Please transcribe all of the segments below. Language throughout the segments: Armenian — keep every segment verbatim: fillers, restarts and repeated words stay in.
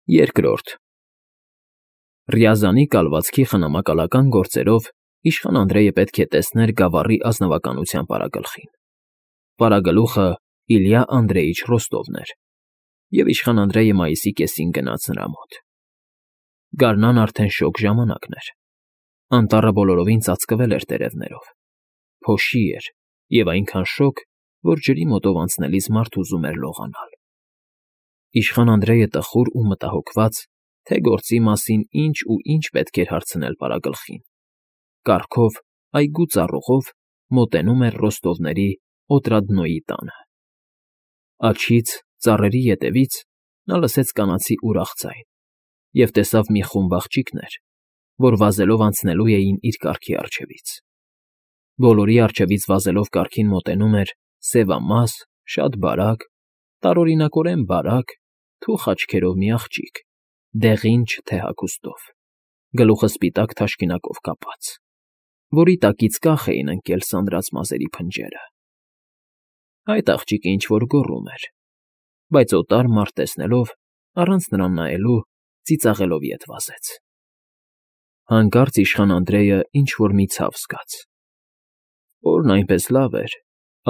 Երկրորդ Ռյազանի կալվածքի խնամակալական գործերով իշխան Անդրեյը պետք է տեսներ գավառի ազնվականության պարագլխին. պարագլուխը Իլյա Անդրեյիչ Ռոստովն էր, և իշխան Անդրեյը մայիսի կեսին գնաց նրա մոտ. գարնան արդեն շոգ ժամանակն էր, անտառը բոլորովին ծածկվել էր տերևներով, փոշի էր և այնքան շոգ, որ ջրի մոտով անցնելիս մարդ ուզում էր լողանալ. իշխան Անդրեյը տխուր ու մտահոգված, թե գործի մասին ինչ ու ինչ պետք էր հարցնել պարագլխին, կառքով, այգու ծառուղով մոտենում էր Ռոստովների Օտրադնոյի տանը. աջից, ծառերի ետևից նա լսեց կանացի ուրախ ձայն և տեսավ մի խումբ աղջիկներ, որ վազելով անցնելու էին իր կառքի առջևից. բոլորի առջևից վազելով կառքին մոտենում էր սևամաս, շատ բարակ, տարօրինակորեն բարակ, թուխ աչքերով մի աղջիկ, դեղին չթե հագուստով, գլուխը սպիտակ թաշկինակով կապած, որի տակից կախ էին ընկել սանրած մազերի փնջերը. այդ աղջիկը ինչ֊որ գոռում էր, բայց օտար մարդ տեսնելով, առանց նրան նայելու, ծիծաղելով ետ վազեց. հանկարծ իշխան Անդրեյը ինչ֊որ մի ցավ զգաց. օրն այնպես լավ էր,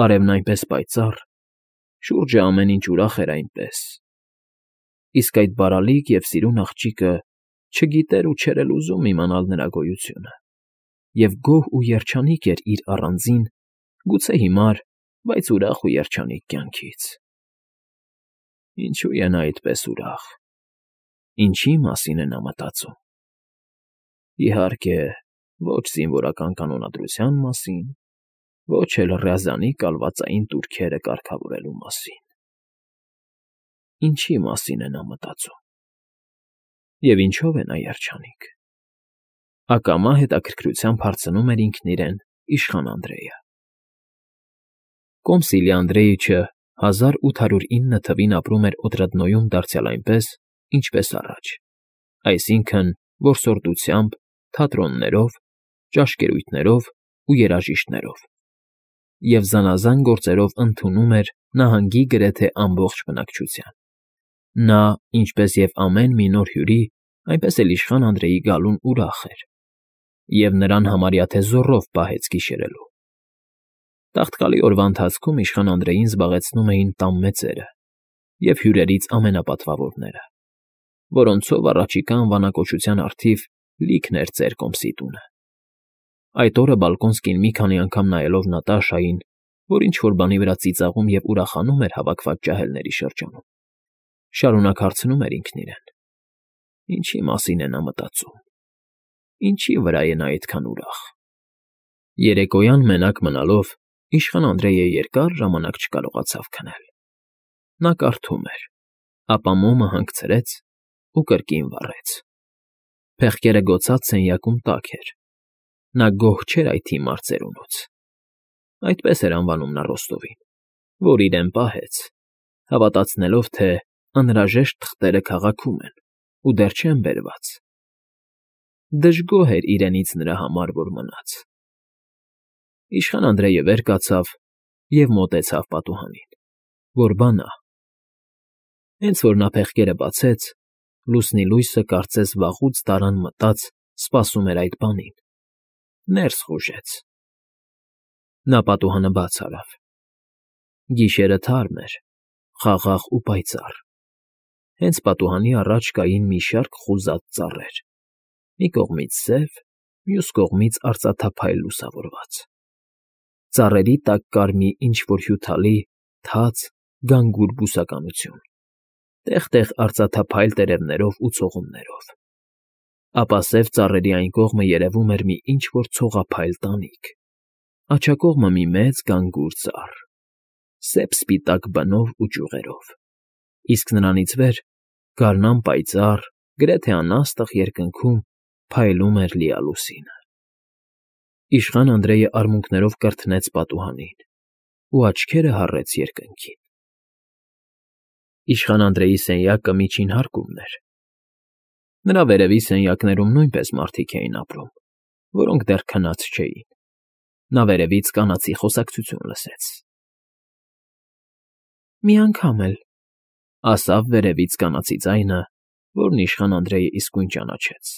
արևն այնպես պայծառ, շուրջը ամեն ինչ ուրախ էր այնպես, իսկ այդ բարալիկ և սիրուն աղջիկը չգիտեր ու չէր էլ ուզում իմանալ նրա գոյությունը, և գոհ ու երջանիկ էր իր առանձին, գուցե հիմար, բայց ուրախ ու երջանիկ կյանքից. ինչո՞ւ է նա այդպես ուրախ, ինչի՞ մասին է նա մտածում. իհարկե, ոչ զինվորական կանոնադրության մասին, ոչ էլ Ռյազանի կալվածային տուրքերը կարգավորելու մասին. ինչի՞ մասին է նա մտածում, և ինչո՞վ է նա երջանիկ, ակամա հետաքրքրությամբ հարցնում էր ինքն իրեն իշխան Անդրեյը. Կոմս Իլյա Անդրեյիչը հազար ութ հարյուր ինը թվին ապրում էր Օտրադնոյում դարձյալ այնպես, ինչպես առաջ, այսինքն՝ որսորդությամբ, թատրոններով, ճաշկերույթներով ու երաժիշտներով, և զանազան գործերով ընդունում էր նահանգի գրեթե ամբողջ բնակչության. նա, ինչպես և ամեն մի նոր հյուրի, այնպես էլ իշխան Անդրեյի գալուն ուրախ էր, և նրան համարյա թե զոռով պահեց գիշերելու. տաղտկալի օրվա ընթացքում իշխան Անդրեյին զբաղեցնում էին տան մեծերը և հյուրերից ամենապատվավորները, որոնցով առաջիկա անվանակոչության առթիվ լիքն էր ծեր Կոմսի տունը. այդ օրը Բալկոնսկին մի քանի անգամ նայելով Նատաշային, որ ինչ֊որ բանի վրա ծիծաղում և ուրախանում էր հավաքված ջահելների շրջանում, շարունակ հարցնում էր ինքն իրեն. ինչի՞ մասին է նա մտածում, ինչի՞ վրա է նա այդքան ուրախ. երեկոյան մենակ մնալով, իշխան Անդրեյը երկար ժամանակ չկարողացավ քնել. նա կարդում էր, ապա մոմը հանգցրեց ու կրկին վառեց. փեղկերը գոցած սենյակում տաք էր, նա գոհ չէր այդ հիմար ծերունուց. այդպես էր անվանում նա Ռոստովին, որ իրեն պահեց, հավատացնելով, թե անհրաժեշտ թղթերը քաղաքում են ու դեռ չեն բերված. դժգոհ էր իրենից նրա համար, որ մնաց. իշխան Անդրեյը վեր կացավ և մոտեցավ պատուհանին, որ բա նա. հենց որ նա փեղկերը բացեց, լուսնի լույսը կարծես վաղուց տարան մտած սպասում էր այդ բանին, ներս խուժեց. նա պատուհանը բաց արավ. գիշերը թարմ էր, խաղաղ ու պայծառ, հենց պատուհանի առաջ կային մի շարք խուզած ծառեր, մի կողմից սև, մյուս կողմից արծաթափայլ լուսավորված. ծառերի տակ կար մի ինչ֊որ հյութալի, թաց, գանգուր բուսականություն, տեղ֊տեղ արծաթափայլ տերևներով ու ցողուններով, ապա սև ծառերի այն կողմը երևում էր մի ինչ֊որ ցողափայլ տանիք, աջակողմը մի մեծ գանգուր ծառ, սև֊սպիտակ բնով ու ճյուղերով, իսկ նրանից վեր, գարնան պայծառ, գրեթե անաստղ երկնքում փայլում էր լիալուսինը. Իշխան Անդրեյը արմունկներով կրթնեց պատուհանին ու աչքերը հառեց երկնքին. Իշխան Անդրեյի սենյակը միջին հարկումն էր. նրա վերևի սենյակներում նույնպես մարդիկ էին ապրում, որոնք դեռ քնած չէին. նա վերևից կանացի խոսակցություն լսեց. «Մի անգամ էլ,֊ ասավ վերևից կանացի ձայնը, որն իշխան Անդրեյը իսկույն ճանաչեց։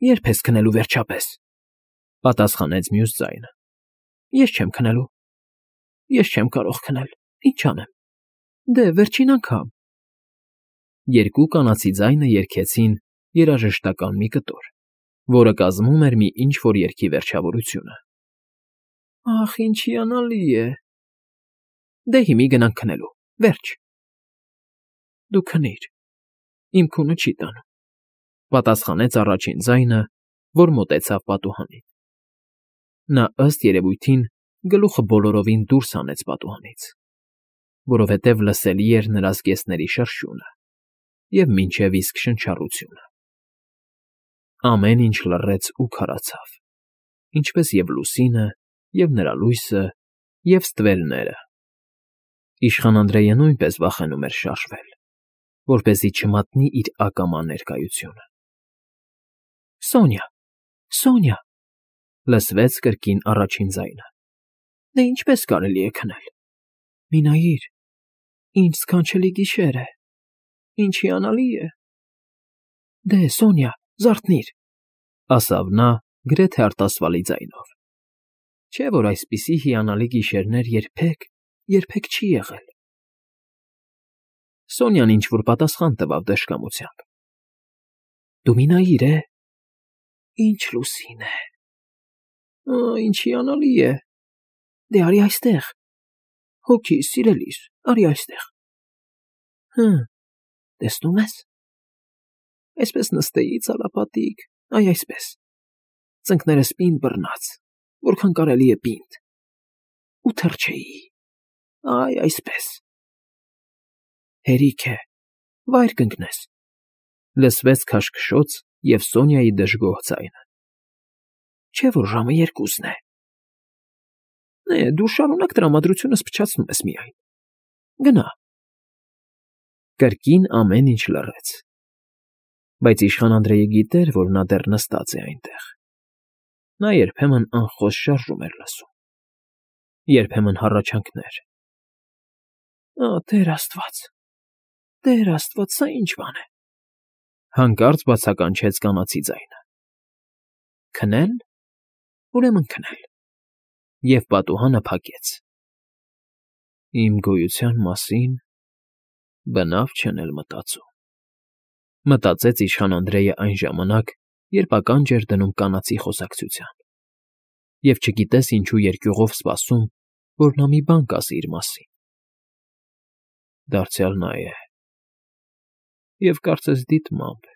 ֊ Ե՞րբ ես քնելու, վերջապես,֊ պատասխանեց մյուս ձայնը։ ֊ Ես չեմ քնելու։ Ես չեմ կարող քնել, ինչ անեմ, դե, վերջին անգամ… Երկու կանացի ձայնը երգեցին երաժշտական մի կտոր, որը կազմում էր մի ինչ֊որ երգի վերջավորությունը։ ֊ Ախ, ինչ հիանալի է… Դե, հիմի գնանք քնելու, վերջ… Դու քնիր, իմ քունը չի տանում,֊ պատասխանեց առաջին ձայնը, որ մոտեցավ պատուհանին։ Նա, ըստ երևույթին, գլուխը բոլորովին դուրս հանեց պատուհանից, որովհետև լսելի էր նրա զգեստների շրշյունը և մինչև իսկ շնչառությունը։ Ամեն ինչ լռեց ու քարացավ, ինչպես և լուսինը, և նրա լույսը, և ստվերները։ Իշխան Անդրեյը նույնպես վախենում էր շարժվել, որպեսզի չմատնի իր ակամա ներկայությունը։ ֊ Սոնյա, Սոնյա…֊ լսվեց կրկին առաջին ձայնը։֊ Դե ինչպե՞ս կարելի է քնել… Մի նայիր, ինչ սքանչելի գիշեր է… Ինչ հիանալի է… Դե, Սոնյա, զարթնի՛ր,֊ ասավ նա գրեթե արտասվալի ձայնով։ Չէ՞ որ այսպիսի հիանալի գիշերներ երբեք, երբեք չի եղել… Սոնյան ինչ֊որ պատասխան տվավ դժկամությամբ։ ֊ Դու մի նայիր, է… Ինչ լուսին է… Ա՜, ինչ հիանալի է… Դե, արի այստեղ… Հոգիս, սիրելիս, արի այստեղ… Հը, տեսնո՞ւմ ես… Այսպես նստեի ծալապատիկ, այ այսպես… Ծնկներս պինդ բռնած, որքան կարելի է պինդ… Ու թռչեի… Այ այսպես… Հերիք է, վայր կընկնես…֊ լսվեց քաշքշոց և Սոնյայի դժգոհ ձայնը։ Չէ՞ որ ժամը երկուսն է… Նե, դու շարունակ տրամադրությունս փչացնում ես միայն… Գնա… Կրկին ամեն ինչ լռեց, բայց իշխան Անդրեյը գիտեր, որ նա դեռ նստած է այնտեղ… Նա երբեմն անխոս շարժում էր լսում, երբեմն հառաչանքներ… Ա, Տեր աստված… Տեր աստված… Սա ի՞նչ բան է… Հանկարծ բացականչեց կանացի ձայնը։ ֊ Քնել… Ուրեմն քնել… Եվ պատուհանը փակեց։ Իմ գոյության մասին բնավ չեն էլ մտածում…֊ մտածեց իշխան Անդրեյը այն ժամանակ, երբ ականջ էր դնում կանացի խոսակցության, և չգիտես ինչու երկյուղով սպասում, որ նա մի բան կասի իր մասին։ Դարձյալ նա է… Եվ կարծես դիտմամբ,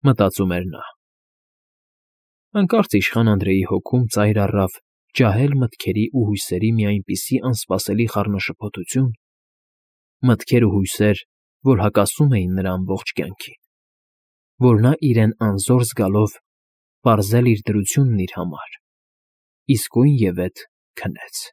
մտածում էր նա… Հանկարծ իշխան Անդրեյի հոգում ծայր առավ ջահել մտքերի ու հույսերի մի այնպիսի անսպասելի խառնաշփոթություն, մտքեր ու հույսեր, որ հակասում էին նրա ամբողջ կյանքին, որ նա իրեն անզոր զգալով պարզել իր դրությունն իր համար, իսկույնևեթ քնեց։